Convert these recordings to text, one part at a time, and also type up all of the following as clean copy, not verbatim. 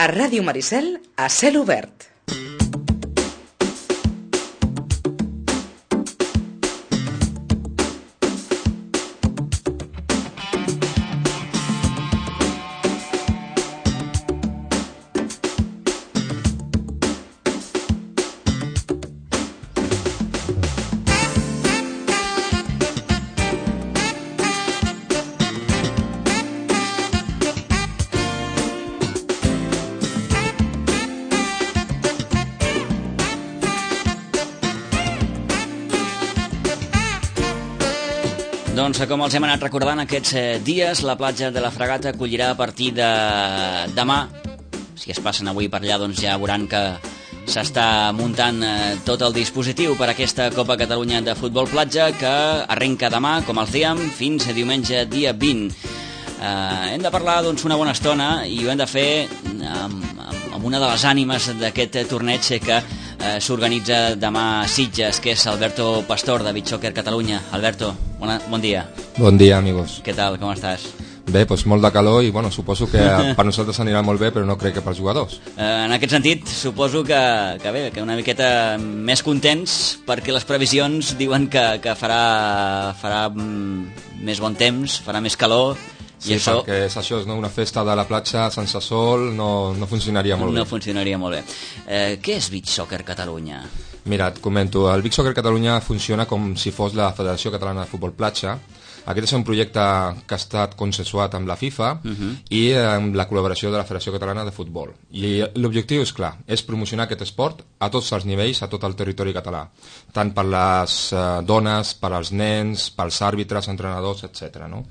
A Ràdio Maricel, a cel obert. Doncs com els hem anat recordant aquests dies, la platja de la Fragata acollirà a partir de demà. Si es passen avui per allà, doncs ja veuran que s'està muntant tot el dispositiu per aquesta Copa Catalunya de Futbol Platja, que arrenca demà, com els dèiem, fins a diumenge dia 20. Hem de parlar doncs una bona estona i ho hem de fer amb una de les ànimes d'aquest torneig que s'organitza demà a Sitges, que és Alberto Pastor, de Beach Soccer Catalunya. Alberto, bon dia. Bon dia, amigos. Què tal, com estàs? Bé, doncs molt de calor i bueno, suposo que per nosaltres anirà molt bé, però no crec que pels jugadors. En aquest sentit, suposo que una miqueta més contents, perquè les previsions diuen que farà més bon temps, farà més calor. Sí, això... perquè és això, no? Una festa de la platja sense sol no funcionaria molt bé. No funcionaria molt bé. Què és Beach Soccer Catalunya? Mira, et comento. El Beach Soccer Catalunya funciona com si fos la Federació Catalana de Futbol Platja. Aquest és un projecte que ha estat consensuat amb la FIFA i amb la col·laboració de la Federació Catalana de Futbol. I l'objectiu és clar, és promocionar aquest esport a tots els nivells, a tot el territori català, tant per les dones, per als nens, pels àrbitres, entrenadors, etc. No?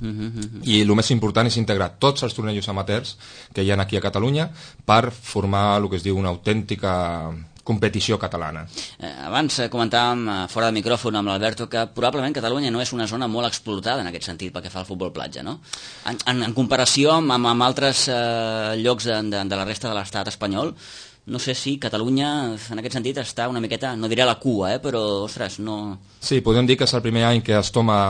I el més important és integrar tots els tornejos amateurs que hi ha aquí a Catalunya per formar el que es diu una autèntica competició catalana. Abans comentàvem fora de micròfon amb l'Alberto que probablement Catalunya no és una zona molt explotada en aquest sentit pel que fa al futbol platja, no? En comparació amb altres llocs de la resta de l'estat espanyol, no sé si Catalunya en aquest sentit està una miqueta, no diré a la cua, però ostres, no... Sí, podem dir que és el primer any que es toma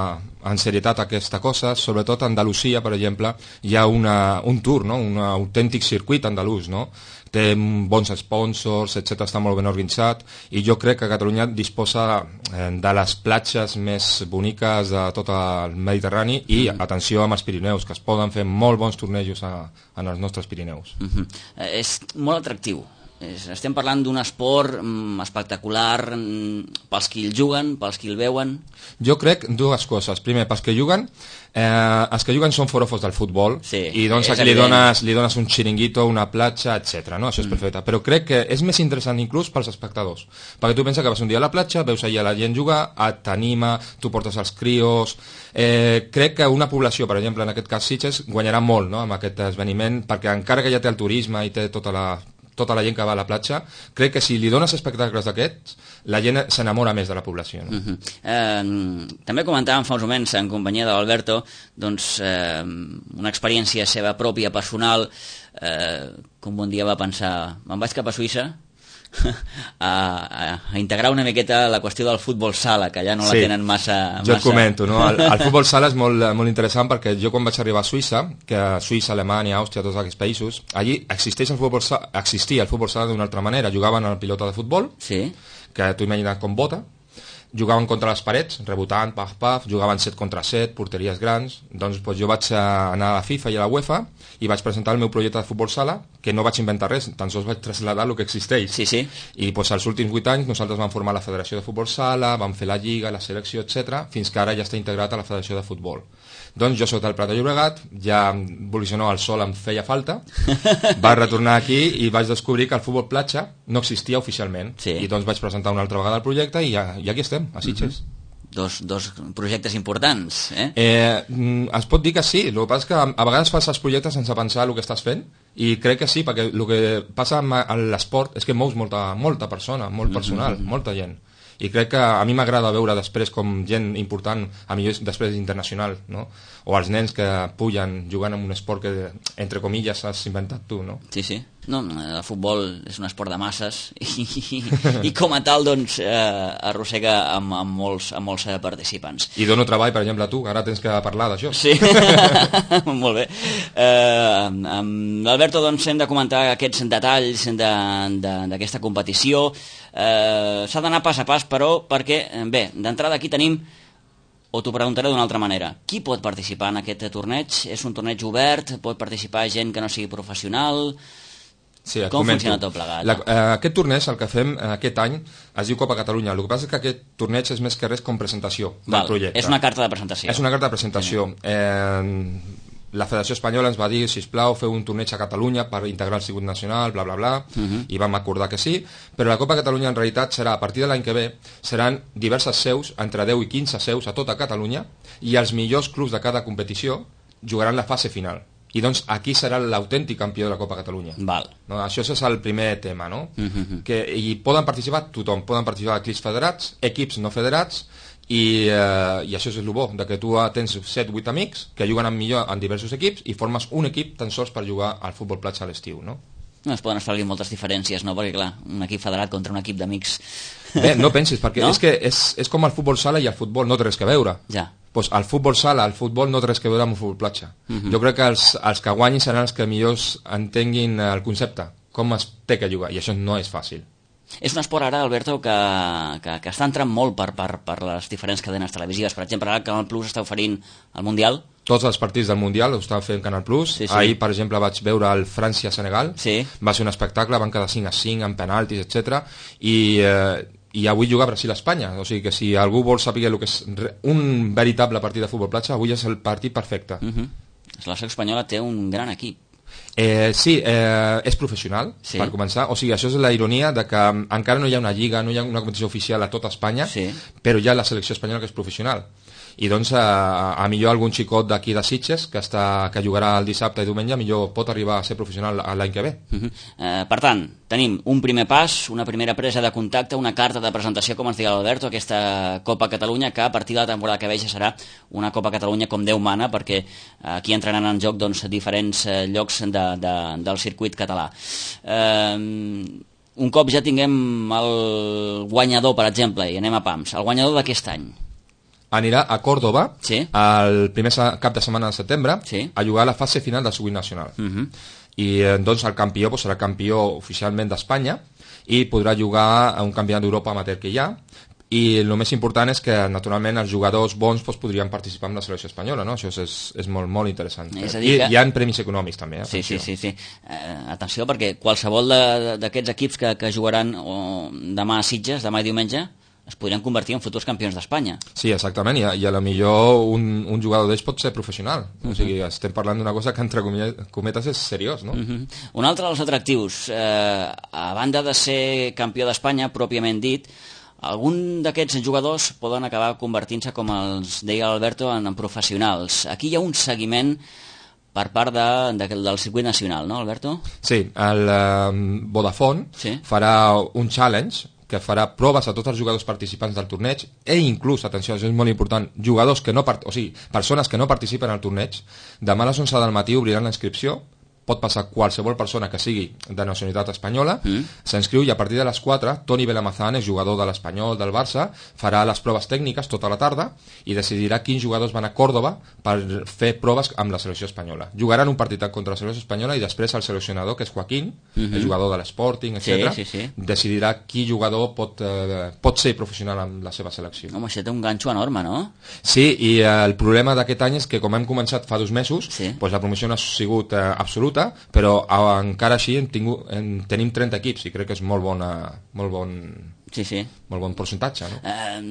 en serietat aquesta cosa, sobretot a Andalusia, per exemple, hi ha un tour, no? Un autèntic circuit andalús, no? Té bons sponsors, etc, està molt ben organitzat, i jo crec que Catalunya disposa de les platges més boniques de tot el Mediterrani i, atenció amb els Pirineus, que es poden fer molt bons tornejos en els nostres Pirineus. És molt atractiu. Estem parlant d'un esport espectacular pels qui el juguen, pels qui el veuen. Jo crec dues coses. Primer, pels que juguen, els que juguen són forofos del futbol, sí, i doncs aquí li dones un xiringuito, una platja, etc. No? Això és perfecte. Però crec que és més interessant inclús pels espectadors, perquè tu penses que vas un dia a la platja, veus allà la gent jugar, t'anima, tu portes els crios. Crec que una població, per exemple, en aquest cas Sitges, guanyarà molt, no?, amb aquest esdeveniment, perquè encara que ja té el turisme i té tota la gent que va a la platja, crec que si li dones espectacles d'aquests, la gent s'enamora més de la població. No? També comentàvem fa uns moments en companyia de l'Alberto doncs, una experiència seva pròpia, personal, com un dia va pensar, me'n vaig cap a Suïssa a integrar una miqueta la qüestió del futbol sala, que allà no la tenen massa... Jo et comento, no? El futbol sala és molt interessant, perquè jo quan vaig arribar a Suïssa, que Suïssa, Alemanya, Àustria, tots aquests països, allí existia el futbol sala d'una altra manera. Jugaven a la pilota de futbol, que tu imagina't com bota, jugaven contra les parets, rebotant, paf, jugaven 7 contra 7, porteries grans. Doncs jo vaig anar a la FIFA i a la UEFA i vaig presentar el meu projecte de futbol sala, que no vaig inventar res, tan sols vaig traslladar el que existeix. I als últims 8 anys nosaltres vam formar la Federació de Futbol Sala, vam fer la Lliga, la selecció, etc, fins que ara ja està integrat a la Federació de Futbol. Doncs jo soc del Prat de Llobregat, ja evolucionó el sol, em feia falta, vaig retornar aquí i vaig descobrir que el futbol platja no existia oficialment. I doncs vaig presentar una altra vegada el projecte i aquí estem, a Sitges. Dos projectes importants, Es pot dir que sí, el que passa és que a vegades fas els projectes sense pensar el que estàs fent, i crec que sí, perquè el que passa amb l'esport és que mous molta persona, molt personal, molta gent. I crec que a mi m'agrada veure després com gent important, a millor després internacional, no? O els nens que pullen jugant en un esport que, entre comilles, has inventat tu, no? Sí. No, el futbol és un esport de masses i com a tal doncs, arrossega amb molts participants. I dono treball, per exemple, a tu, que ara tens que parlar d'això. Sí, molt bé. Amb l'Alberto doncs, hem de comentar aquests detalls d'aquesta competició. S'ha d'anar pas a pas, però, perquè, bé, d'entrada aquí tenim, o t'ho preguntaré d'una altra manera, qui pot participar en aquest torneig? És un torneig obert? Pot participar gent que no sigui professional? Sí, com funciona tot plegat? Aquest torneig, el que fem aquest any, es diu Copa Catalunya. El que passa és que aquest torneig és més que res com presentació del projecte. És una carta de presentació. És una carta de presentació. La Federació Espanyola ens va dir, sisplau, feu un torneig a Catalunya per integrar el circuit nacional, bla, bla, bla, i vam acordar que sí, però la Copa Catalunya en realitat serà, a partir de l'any que ve, seran diverses seus, entre 10 i 15 seus a tota Catalunya, i els millors clubs de cada competició jugaran la fase final. I doncs aquí serà l'autèntic campió de la Copa Catalunya. Val. No, això és el primer tema, no? I poden participar tothom, poden participar equips federats, equips no federats, i això és el bo, de que tu tens 7-8 amics que juguen millor en diversos equips i formes un equip tan sols per jugar al futbol platja a l'estiu, no? No es poden establir moltes diferències, no? Perquè, clar, un equip federat contra un equip d'amics... Bé, no pensis, perquè no? És que és com el futbol sala i el futbol no té res que veure. Ja. Pues el futbol sala, el futbol no té res que veure amb el futbol platja. Jo crec que els que guanyin seran els que millors entenguin el concepte, com es té que jugar, i això no és fàcil. És un esport ara, Alberto, que està entrant molt per les diferents cadenes televisives. Per exemple, ara Canal Plus està oferint el Mundial. Tots els partits del Mundial ho estava fent Canal Plus. Sí. Ahir, per exemple, vaig veure el França-Senegal. Sí. Va ser un espectacle, van quedar 5-5 en penaltis, etc. I avui juga Brasil-Espanya, o sigui que si algú vol saber el que és un veritable partit de futbol platja, avui és el partit perfecte. La selecció espanyola té un gran equip. Sí, és professional, sí, per començar, o sigui, això és la ironia de que encara no hi ha una lliga, no hi ha una competició oficial a tota Espanya, sí, però hi ha la selecció espanyola que és professional. I doncs a millor algun xicot d'aquí de Sitges que jugarà el dissabte i diumenge millor pot arribar a ser professional l'any que ve. Per tant, tenim un primer pas, una primera presa de contacte, una carta de presentació, com ens diu l'Alberto, aquesta Copa Catalunya, que a partir de la temporada que ve ja serà una Copa Catalunya com Déu mana, perquè aquí entraran en joc doncs, diferents llocs del circuit català. Un cop ja tinguem el guanyador, per exemple, i anem a pams, el guanyador d'aquest any anirà a Còrdova, sí, el primer cap de setmana de setembre, sí, a jugar a la fase final del circuit nacional. I doncs el campió serà campió oficialment d'Espanya i podrà jugar a un campionat d'Europa amateur que hi ha, i el més important és que naturalment els jugadors bons podrien participar en la selecció espanyola, no? Això és molt, molt interessant. I hi ha premis econòmics també. Sí. Atenció, perquè qualsevol d'aquests equips que jugaran demà a Sitges, demà i diumenge, es podrien convertir en futurs campions d'Espanya. Sí, exactament, i a lo millor un jugador d'ells pot ser professional. O sigui, estem parlant d'una cosa que entre cometes és seriós, no? Un altre dels atractius, a banda de ser campió d'Espanya, pròpiament dit, algun d'aquests jugadors poden acabar convertint-se, com els deia l'Alberto, en professionals. Aquí hi ha un seguiment per part del circuit nacional, no, Alberto? Sí, el Vodafone farà un challenge que farà proves a tots els jugadors participants del torneig i inclús, atenció, això és molt important, jugadors que no persones que no participen al torneig, demà a les 11 del matí obriran la inscripció, pot passar qualsevol persona que sigui de nacionalitat espanyola, s'inscriu i a partir de les 4, Toni Belamazán, és jugador de l'Espanyol, del Barça, farà les proves tècniques tota la tarda i decidirà quins jugadors van a Còrdova per fer proves amb la selecció espanyola. Jugaran un partit contra la selecció espanyola i després el seleccionador, que és Joaquín, el jugador de l'Sporting, etc., decidirà quin jugador pot ser professional amb la seva selecció. Home, això té un ganxo enorme, no? Sí, i el problema d'aquest any és que com hem començat fa 2 mesos, la promoció no ha sigut absoluta, però encara així tenim 30 equips i crec que és molt bon percentatge, no?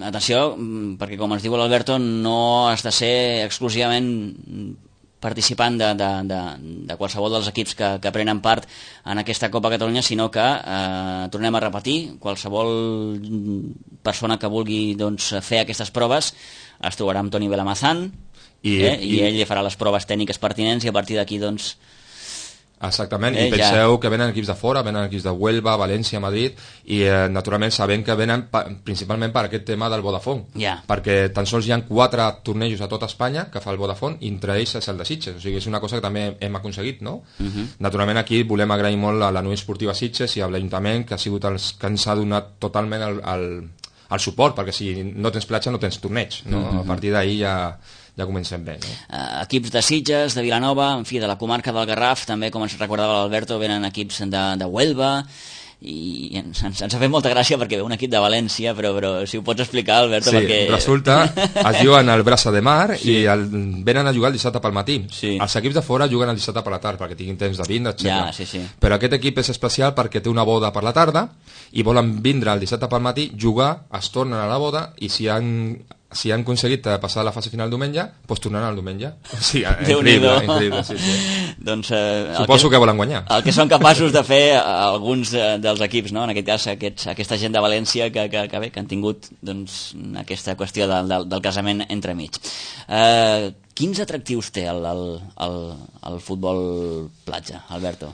Atenció, perquè com ens diu l'Alberto, no has de ser exclusivament participant de qualsevol dels equips que prenen part en aquesta Copa Catalunya, sinó que, tornem a repetir, qualsevol persona que vulgui fer aquestes proves es trobarà amb Toni Belamazán i ell li farà les proves tècniques pertinents i a partir d'aquí Exactament, i penseu que venen equips de fora, venen equips de Huelva, València, Madrid, i naturalment sabem que venen principalment per aquest tema del Vodafone, perquè tan sols hi ha 4 tornejos a tot Espanya que fa el Vodafone, i entre ells és el de Sitges, o sigui, és una cosa que també hem aconseguit, no? Naturalment aquí volem agrair molt a la Unió Esportiva Sitges i a l'Ajuntament, que ha sigut els que ens ha donat totalment el suport, perquè si no tens platja no tens torneig, no? A partir d'ahir ja comencem bé, no? Equips de Sitges, de Vilanova, en fi, de la comarca del Garraf, també, com ens recordava l'Alberto, venen equips de Huelva, i ens ha fet molta gràcia perquè ve un equip de València, però si ho pots explicar, Alberto, sí, perquè... resulta, es juguen al Brasa de Mar i venen a jugar el dissabte pel matí. Els equips de fora juguen el dissabte per la tarda perquè tinguin temps de vindre, etc. Però aquest equip és especial perquè té una boda per la tarda i volen vindre el dissabte pel matí, jugar, es tornen a la boda, i si han aconseguit passar la fase final diumenge, doncs tornaran el diumenge. O sigui, increïble, sí. Doncs, suposo que volen guanyar. El que són capaços de fer alguns dels equips, no? En aquest cas, aquesta gent de València que han tingut doncs, aquesta qüestió del casament entremig. Quins atractius té el futbol platja, Alberto?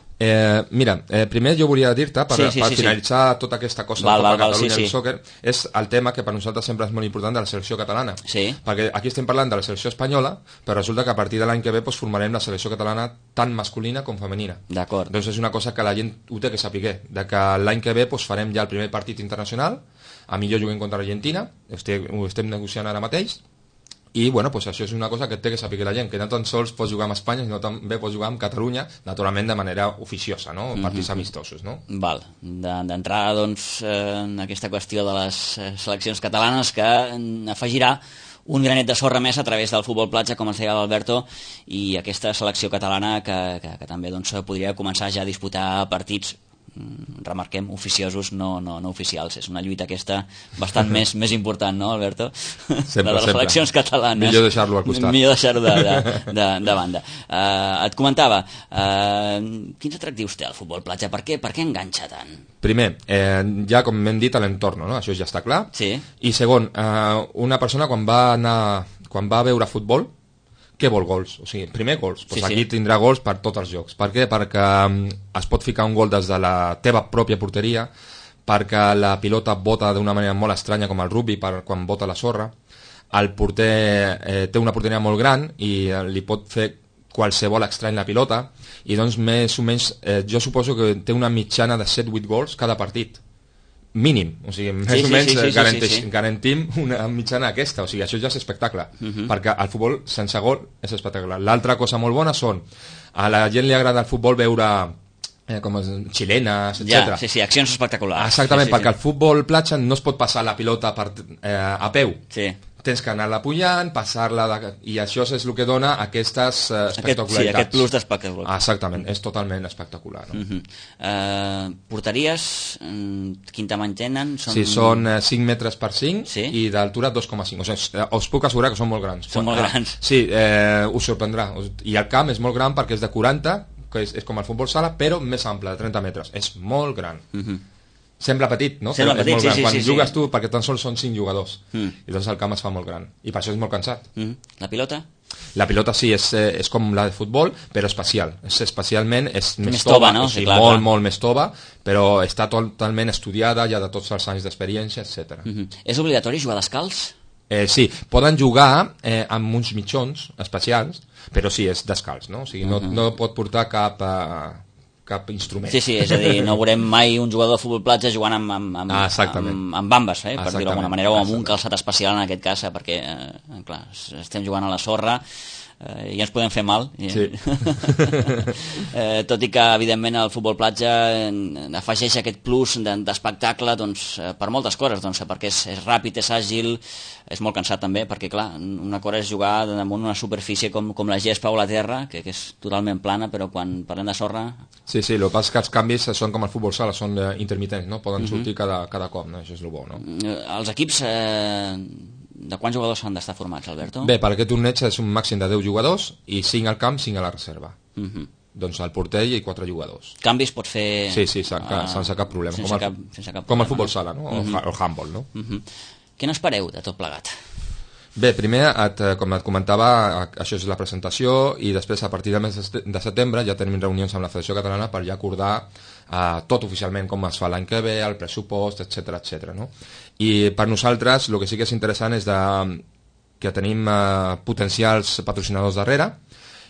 Mira, primer jo volia dir-te, per finalitzar tota aquesta cosa de Catalunya del sòquer, és el tema que per nosaltres sempre és molt important de la selecció catalana. Perquè aquí estem parlant de la selecció espanyola, però resulta que a partir de l'any que ve formarem la selecció catalana tant masculina com femenina. D'acord. Doncs és una cosa que la gent ho té que saber, de que l'any que ve farem ja el primer partit internacional, a millor juguem contra l'Argentina, ho estem negociant ara mateix, i bueno, pues això és una cosa que té que saber la gent, que no tan sols pots jugar amb Espanya, sinó també pots jugar amb Catalunya, naturalment de manera oficiosa, no? Partits amistosos, no? Val, d'entrada doncs en aquesta qüestió de les seleccions catalanes, que afegirà un granet de sorra més a través del futbol platja, com ens deia l'Alberto, i aquesta selecció catalana que també doncs, podria començar ja a disputar partits, remarquem, oficiosos, no oficials. És una lluita aquesta bastant més important, no, Alberto? Sempre, de les seleccions catalanes. Millor deixar-lo al costat. Millor deixar-ho de banda. Et comentava, quins atractius té el futbol platja? Per què enganxa tant? Primer, ja com hem dit, a l'entorn, no? Això ja està clar. Sí. I segon, una persona quan va a veure futbol, què vol? Gols? O sigui, primer gols. Pues aquí tindrà gols per tots els jocs. Per què? Perquè es pot ficar un gol des de la teva pròpia porteria, perquè la pilota bota d'una manera molt estranya, com el rugby, quan bota la sorra. El porter té una porteria molt gran i li pot fer qualsevol estrany la pilota, i doncs més o menys jo suposo que té una mitjana de 7-8 gols cada partit. Mínim, o sigui, més o menys garantim una mitjana aquesta, o sigui, això ja és espectacle, perquè el futbol sense gol és espectacular. L'altra cosa molt bona són, a la gent li agrada el futbol veure com xilenes, etc. Sí, accions espectaculars. Exactament, perquè el futbol platja no es pot passar la pilota a peu. Tens que anar-la pujant, passar-la, i això és el que dona aquestes espectacularitats. Aquest plus d'espectacularitat. Exactament, és totalment espectacular. No? Porteries, quin tamany tenen? Sí, són 5 metres per 5 i d'altura 2,5. O sigui, us puc assegurar que són molt grans. Són molt grans. Sí, us sorprendrà. I el camp és molt gran perquè és de 40, que és com el futbol sala, però més ample, de 30 metres. És molt gran. Sembla petit, no? Sembla petit, sí. Quan jugues tu, perquè tan sols són 5 jugadors, i doncs el camp es fa molt gran, i per això és molt cansat. La pilota? La pilota sí, és com la de futbol, però especial. Especialment és més tova, no? Sí, molt més tova, però està totalment estudiada, ja de tots els anys d'experiència, etc. És obligatori jugar descalç? Sí, poden jugar amb uns mitjons especials, però sí, és descalç, no? O sigui, no pot portar cap instrument. Sí, és a dir, no veurem mai un jugador de futbol platja jugant amb bambes, per dir-ho d'alguna manera, o amb un calçat especial en aquest cas, perquè, clar, estem jugant a la sorra i ens podem fer mal. Sí. Tot i que, evidentment, el futbol platja afegeix aquest plus d'espectacle per moltes coses, perquè és ràpid, és àgil, és molt cansat també, perquè, clar, una cosa és jugar damunt una superfície com la gespa o la terra, que és totalment plana, però quan parlem de sorra... Sí, el que passa és que els canvis són com el futbol sala, són intermitents, no? Poden sortir cada cop, no? Això és el bo, no? Els equips... De quants jugadors han d'estar formats, Alberto? Bé, per aquest torneig és un màxim de 10 jugadors i 5 al camp, 5 a la reserva. Doncs el porter i 4 jugadors. Canvis pot fer... Sí, sense cap problema. Com el futbol sala, no? O el handball, no? Què n'espereu de tot plegat? Bé, primer, com et comentava, això és la presentació i després a partir del mes de setembre ja tenim reunions amb la Federació Catalana per ja acordar tot oficialment com es fa l'any que ve, el pressupost, etc. No? I per nosaltres el que sí que és interessant és que tenim potencials patrocinadors darrere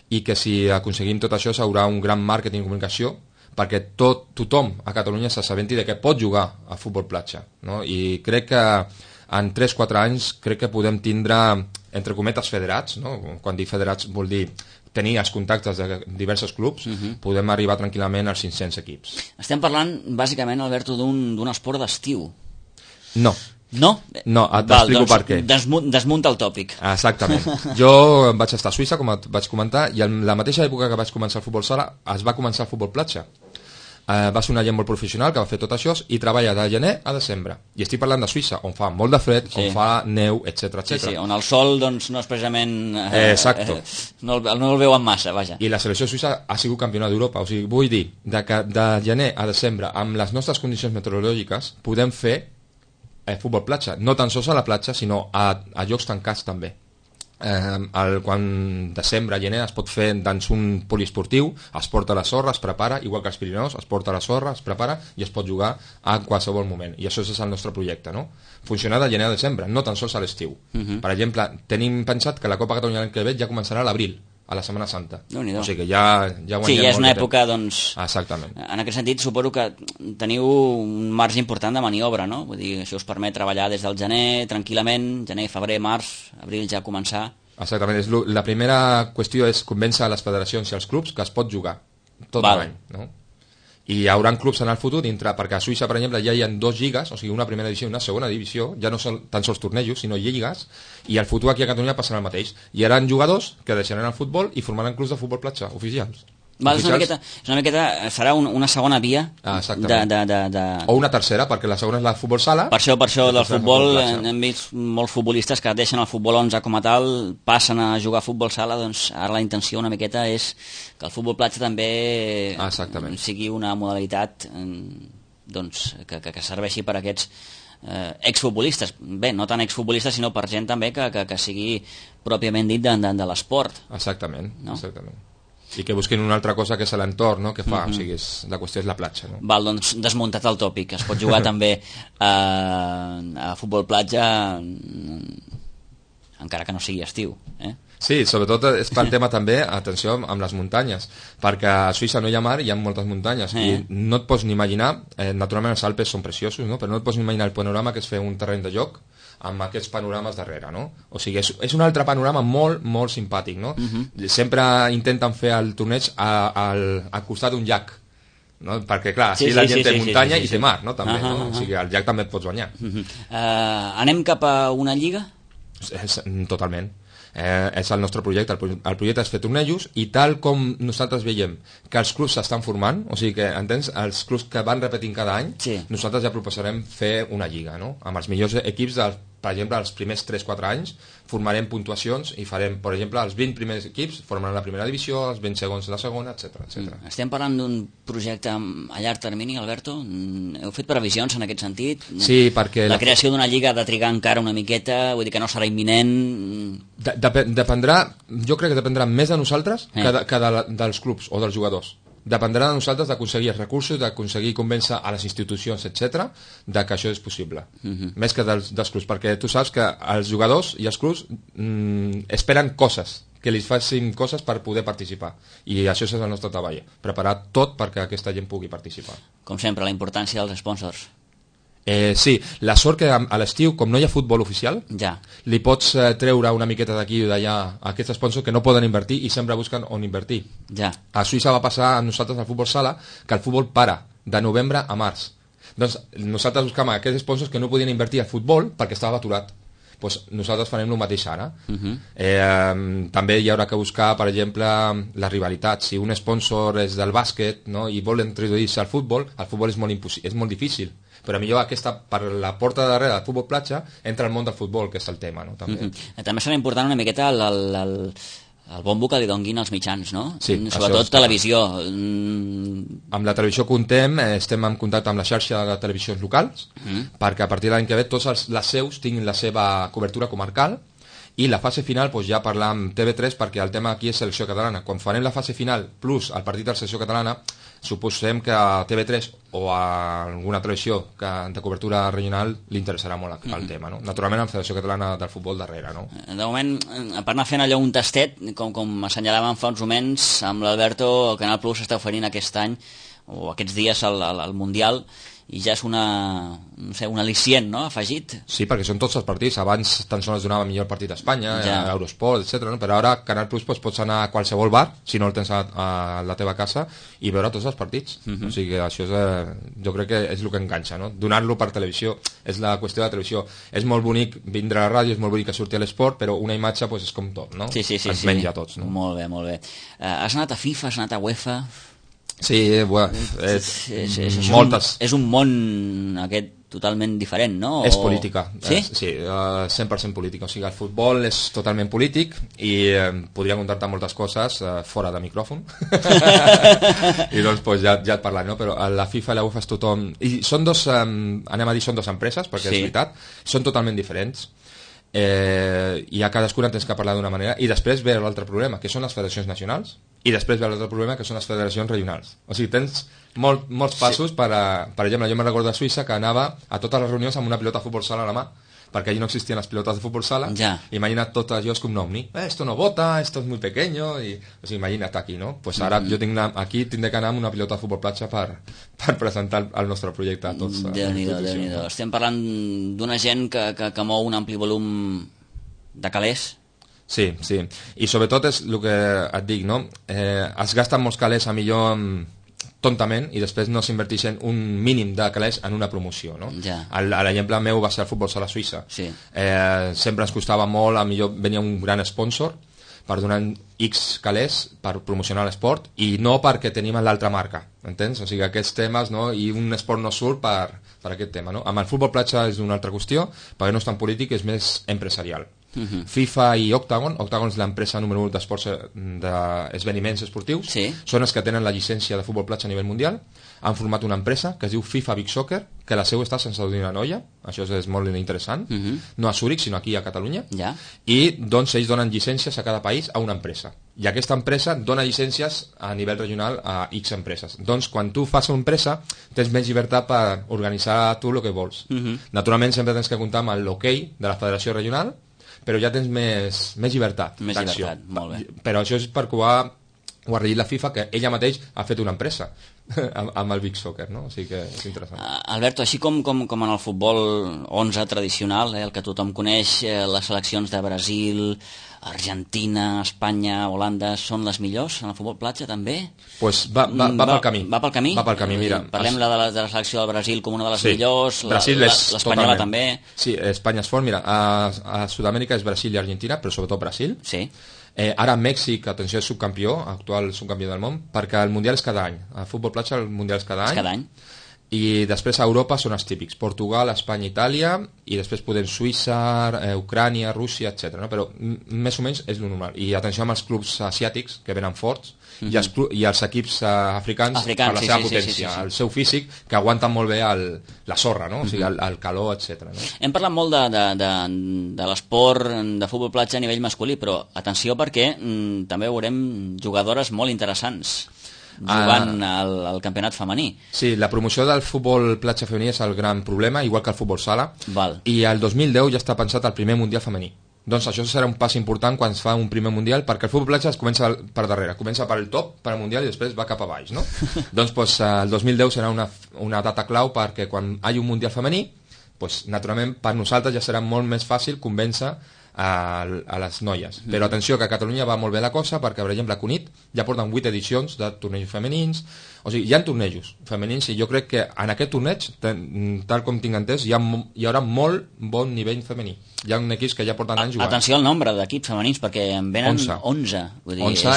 i que si aconseguim tot això s'haurà un gran màrqueting i comunicació perquè tothom a Catalunya s'assabenti de que pot jugar a futbol platja, no? I crec que en 3-4 anys crec que podem tindre, entre cometes, federats, no? Quan dic federats vol dir tenir els contactes de diversos clubs, podem arribar tranquil·lament als 500 equips. Estem parlant, bàsicament, Alberto, d'un esport d'estiu. No. No? No, t'explico per què. Desmunta el tòpic. Exactament. Jo vaig estar a Suïssa, com et vaig comentar, i en la mateixa època que vaig començar el futbol sala, es va començar el futbol platja. Va ser una gent molt professional que va fer tot això i treballa de gener a desembre. I estic parlant de Suïssa, on fa molt de fred, on fa neu, etc. Sí, on el sol doncs, no és precisament... Exacto. No el veuen massa, vaja. I la selecció suïssa ha sigut campiona d'Europa. O sigui, vull dir que de gener a desembre, amb les nostres condicions meteorològiques, podem fer futbol platja. No tan sols a la platja, sinó a llocs tancats també. Quan desembre, gener es pot fer dans un poliesportiu, es porta a la sorra, es prepara, igual que els Pirineus, es porta a la sorra, es prepara i es pot jugar a qualsevol moment, i això és el nostre projecte, no? Funcionar de gener a desembre, no tan sols a l'estiu. Per exemple, tenim pensat que la Copa Catalunya l'any que ve ja començarà a l'abril, a la Setmana Santa. O sigui que ja guanyem sí, ja és una molt època, doncs... Exactament. En aquest sentit, suposo que teniu un marge important de maniobra, no? Vull dir, això us permet treballar des del gener, tranquil·lament, gener, febrer, març, abril ja començar... Exactament. La primera qüestió és convèncer a les federacions i als clubs que es pot jugar tot l'any, no? I hi haurà clubs en el futur dintre, perquè a Suïssa, per exemple, ja hi ha 2 lligues, o sigui, una primera divisió i una segona divisió, ja no són tan sols tornejos, sinó lligues, i al futur aquí a Catalunya passarà el mateix. Hi haurà jugadors que deixaran el futbol i formaran clubs de futbol platja oficials. Val, és una miqueta, serà una segona via o una tercera, perquè la segona és la futbol sala. Per això del futbol hem vist molts futbolistes que deixen el futbol 11 com a tal, passen a jugar a futbol sala, doncs ara la intenció una miqueta és que el futbol platja també sigui una modalitat doncs, que serveixi per a aquests exfutbolistes, bé, no tant exfutbolistes sinó per gent també que sigui pròpiament dit de l'esport. Exactament. I que busquin una altra cosa que és l'entorn, no? Que fa, o sigui, la qüestió és la platja, no? Val, doncs desmuntat el tòpic, es pot jugar també a futbol platja encara que no sigui estiu, Sí, sobretot és per tema també, atenció, amb les muntanyes, perquè a Suïssa no hi ha mar i hi ha moltes muntanyes, i no et pots ni imaginar, naturalment els Alpes són preciosos, no? Però no et pots ni imaginar el panorama que és fer un terreny de joc amb aquests panorames darrere, no? O sigui, és un altre panorama molt, molt simpàtic, no? Sempre intenten fer el torneig al costat d'un llac, no? Perquè, clar, així la gent té muntanya i té mar, no? També, no? O sigui, al llac també et pots banyar. Anem cap a una lliga? Totalment. És el nostre projecte. El projecte és fer tornejos i tal com nosaltres veiem que els clubs s'estan formant, o sigui que, entens, els clubs que van repetint cada any, nosaltres ja proposarem fer una lliga, no? Amb els millors equips, per exemple, els primers 3-4 anys formarem puntuacions i farem, per exemple, els 20 primers equips formaran la primera divisió, els 20 segons la segona, etc. Estem parlant d'un projecte a llarg termini, Alberto? Heu fet previsions en aquest sentit? Sí, perquè... La creació d'una lliga ha de trigar encara una miqueta, vull dir que no serà imminent... Dependrà, jo crec que dependrà més de nosaltres que dels clubs o dels jugadors. Dependrà de nosaltres d'aconseguir els recursos, d'aconseguir convèncer a les institucions, etc., de que això és possible. Més que dels clubs, perquè tu saps que els jugadors i els clubs esperen coses, que li facin coses per poder participar. I això és el nostre treball, preparar tot perquè aquesta gent pugui participar. Com sempre, la importància dels sponsors. Sí, la sort que a l'estiu, com no hi ha futbol oficial, li pots treure una miqueta d'aquí i d'allà a aquests sponsors que no poden invertir i sempre busquen on invertir. A Suïssa va passar a nosaltres al futbol sala que el futbol para de novembre a març. Doncs nosaltres buscàvem aquests sponsors que no podien invertir al futbol perquè estava aturat. Pues nosaltres farem el mateix ara. També hi haurà que buscar, per exemple, la rivalitat. Si un sponsor és del bàsquet, no, i vol introduir-se al futbol és molt difícil. Però millor aquesta, per la porta de darrere del futbol platja, entra al món del futbol, que és el tema, no? També. També serà important una miqueta el bombo que li donguin els mitjans, no? Sí, sobretot televisió. Amb la televisió contem, estem en contacte amb la xarxa de televisions locals, perquè a partir de l'any que ve tots les seus tinguin la seva cobertura comarcal i la fase final pues, ja parlar amb TV3 perquè el tema aquí és selecció catalana. Quan farem la fase final plus el partit de la selecció catalana, suposem que a TV3 o a alguna televisió de cobertura regional li interessarà molt el tema, no? Naturalment amb Federació Catalana del Futbol darrere, no? De moment, per anar fent allò un tastet, com assenyalàvem fa uns moments, amb l'Alberto, el Canal Plus està oferint aquest any, o aquests dies, al Mundial, i ja és un al·licient, no?, afegit. Sí, perquè són tots els partits. Abans tan sols donava millor partit a Espanya, a Eurosport, etc. No? Però ara Canal Plus pots anar a qualsevol bar, si no el tens a la teva casa, i veure tots els partits. O sigui que això jo crec que és el que enganxa, no? Donar-lo per televisió és la qüestió de la televisió. És molt bonic vindre a la ràdio, és molt bonic que surti a l'esport, però una imatge és com tot, no? Sí. Ens menja a tots, no? Molt bé. Has anat a FIFA, has anat a UEFA... Sí, és un món aquest totalment diferent, no? És política, sí? Sí, 100% política. O sigui, el futbol és totalment polític i podria contar-te moltes coses fora de micròfon. I doncs ja et parlaré, no? Però la FIFA i la UEFA és tothom... I són anem a dir, són dues empreses, perquè és veritat, són totalment diferents. I a cadascuna tens que parlar d'una manera. I després ve l'altre problema, que són les federacions nacionals, i després ve l'altre problema, que són les federacions regionals. O sigui, tens molts passos per exemple, jo me'n recordo de Suïssa que anava a totes les reunions amb una pilota de futbol sala a la mà, perquè allí no existien les pilotes de futbol sala, imagina't tot allò és com un ovni, esto no bota, esto es muy pequeño, o sigui, imagina't aquí, no? Pues ara jo aquí tindré que anar amb una pilota de futbol platja per presentar el nostre projecte a tots. Déu-n'hi-do. Estem parlant d'una gent que mou un ampli volum de calés. Sí, i sobretot és el que et dic, no? Es gasten molts calés a millor tontament i després no s'inverteixen un mínim de calés en una promoció, no? L'exemple meu va ser el futbol sala suïssa. Sempre ens costava molt, a millor venia un gran sponsor per donar X calés per promocionar l'esport i no perquè tenim l'altra marca, entens? O sigui, aquests temes, no? I un esport no surt per aquest tema, no? Amb el futbol platja és una altra qüestió, perquè no és tan polític, és més empresarial. FIFA i Octagon és l'empresa número 1 d'esdeveniments esportius, són els que tenen la llicència de futbol platja a nivell mundial, han format una empresa que es diu FIFA Big Soccer, que la seu està sense Saudina Noia, això és molt interessant, no a Zúrich sinó aquí a Catalunya, i doncs ells donen llicències a cada país a una empresa, i aquesta empresa dona llicències a nivell regional a X empreses. Doncs quan tu fas una empresa tens més llibertat per organitzar tu el que vols. Naturalment sempre tens que comptar amb l'hoquei de la federació regional, però ja tens més llibertat d'acció. Molt bé. Però això és perquè ho ha regit la FIFA, que ella mateix ha fet una empresa amb el Big Soccer, no? O sigui que és interessant. Alberto, així com en el futbol 11 tradicional, el que tothom coneix, les seleccions de Brasil, Argentina, Espanya, Holanda, són les millors en el futbol platja també? Pues va pel camí. Va pel camí? Va pel camí, mira. Parlem de la selecció del Brasil com una de les millors, l'espanyola també. Sí, Espanya és fort, mira, a Sud-amèrica és Brasil i Argentina, però sobretot Brasil. Sí. Ara Mèxic, atenció, és subcampió, actual subcampió del món, perquè el Mundial és cada any. El futbol platja, el Mundial és cada any. Cada any. I després a Europa són els típics, Portugal, Espanya, Itàlia, i després podem Suïssa, Ucrània, Rússia, etc. No? Però més o menys és el normal. I atenció amb els clubs asiàtics, que venen forts, i els equips africans per la seva potència, el seu físic, que aguanten molt bé la sorra, no? O sigui, el calor, etc. No? Hem parlat molt de l'esport de futbol platja a nivell masculí, però atenció perquè també veurem jugadores molt interessants jugant al campionat femení. Sí, la promoció del futbol platja femení és el gran problema, igual que el futbol sala. I el 2010 ja està pensat el primer mundial femení. Doncs això serà un pas important quan es fa un primer mundial, perquè el futbol platja es comença per darrere, comença per el top, per al mundial, i després va cap a baix, no? Doncs el 2010 serà una data clau, perquè quan hi hagi un mundial femení, naturalment per nosaltres ja serà molt més fàcil convèncer a les noies. Però atenció, que a Catalunya va molt bé la cosa, perquè per exemple a Cunit ja porten 8 edicions de tornejos femenins, o sigui, hi ha tornejos femenins, i jo crec que en aquest torneig, tal com tinc entès, hi haurà molt bon nivell femení. Hi ha equips que ja porten anys jugant. Atenció al nombre d'equips femenins, perquè en venen 11. Vull dir, 11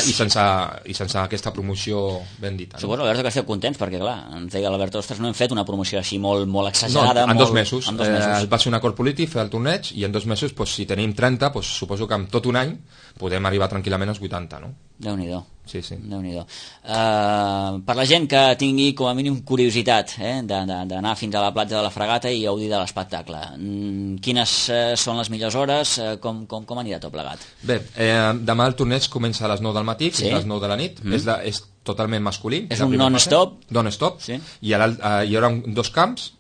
i sense aquesta promoció ben dita. No? Suposo, Alberto, que esteu contents, perquè clar, ens deia l'Alberto, ostres, no hem fet una promoció així molt exagerada. No, en 2 mesos. Va ser un acord polític fer el torneig, i en 2 mesos, si tenim 30, suposo que en tot un any podem arribar tranquil·lament als 80, no? Déu-n'hi-do. Sí, sí. Déu-n'hi-do. Per la gent que tingui com a mínim curiositat d'anar fins a la platja de la Fragata i gaudir de l'espectacle, quines són les millors hores? Com anirà tot plegat? Bé, demà el torneig comença a les 9 del matí fins a les 9 de la nit. És totalment masculí. És un non-stop? Non-stop. Sí. Hi haurà 2 camps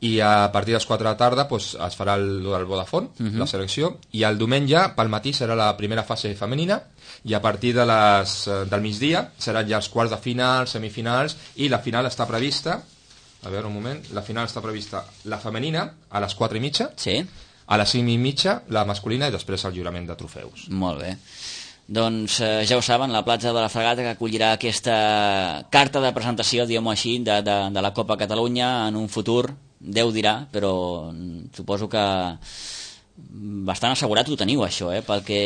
i a partir de les 4 de la tarda es farà el Vodafone, la selecció, i el diumenge pel matí serà la primera fase femenina i a partir del migdia seran ja els quarts de final, semifinals, i la final està prevista, a veure un moment, la final està prevista la femenina a les 4:30, sí. A les 5:30 la masculina i després el lliurament de trofeus. Molt bé. Doncs ja ho saben, la platja de la Fragata que acollirà aquesta carta de presentació, diguem-ho així, de la Copa Catalunya en un futur, Déu dirà, però suposo que bastant assegurat ho teniu, això, pel que...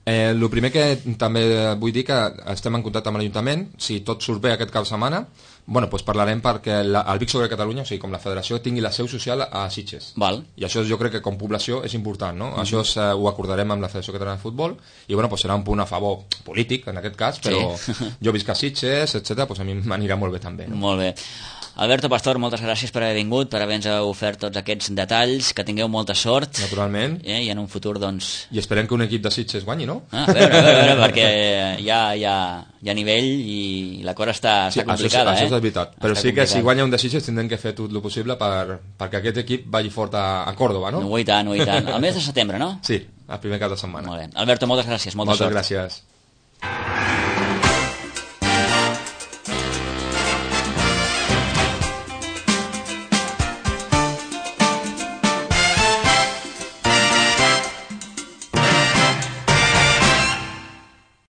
El primer que també vull dir que estem en contacte amb l'Ajuntament, si tot surt bé aquest cap de setmana, doncs parlarem perquè el Vic Sobre Catalunya, o sigui, com la federació, tingui la seu social a Sitges. Val. I això jo crec que com població és important, no? Això ho acordarem amb la Federació Catalana de Futbol i serà un punt a favor polític, en aquest cas, però jo visc a Sitges, etc., a mi m'anirà molt bé també. No? Molt bé. Alberto Pastor, moltes gràcies per haver vingut, per haver-nos ofert tots aquests detalls, que tingueu molta sort. Naturalment. I en un futur, doncs... I esperem que un equip de Sitges guanyi, no? A veure, perquè hi ha nivell i la cosa està complicada. Això és veritat. Però sí que si guanya un de Sitges tindrem que fer tot el possible perquè aquest equip vagi fort a Còrdoba, no? I tant. El mes de setembre, no? Sí, el primer cap de setmana. Molt bé. Alberto, moltes gràcies. Molta sort. Moltes gràcies.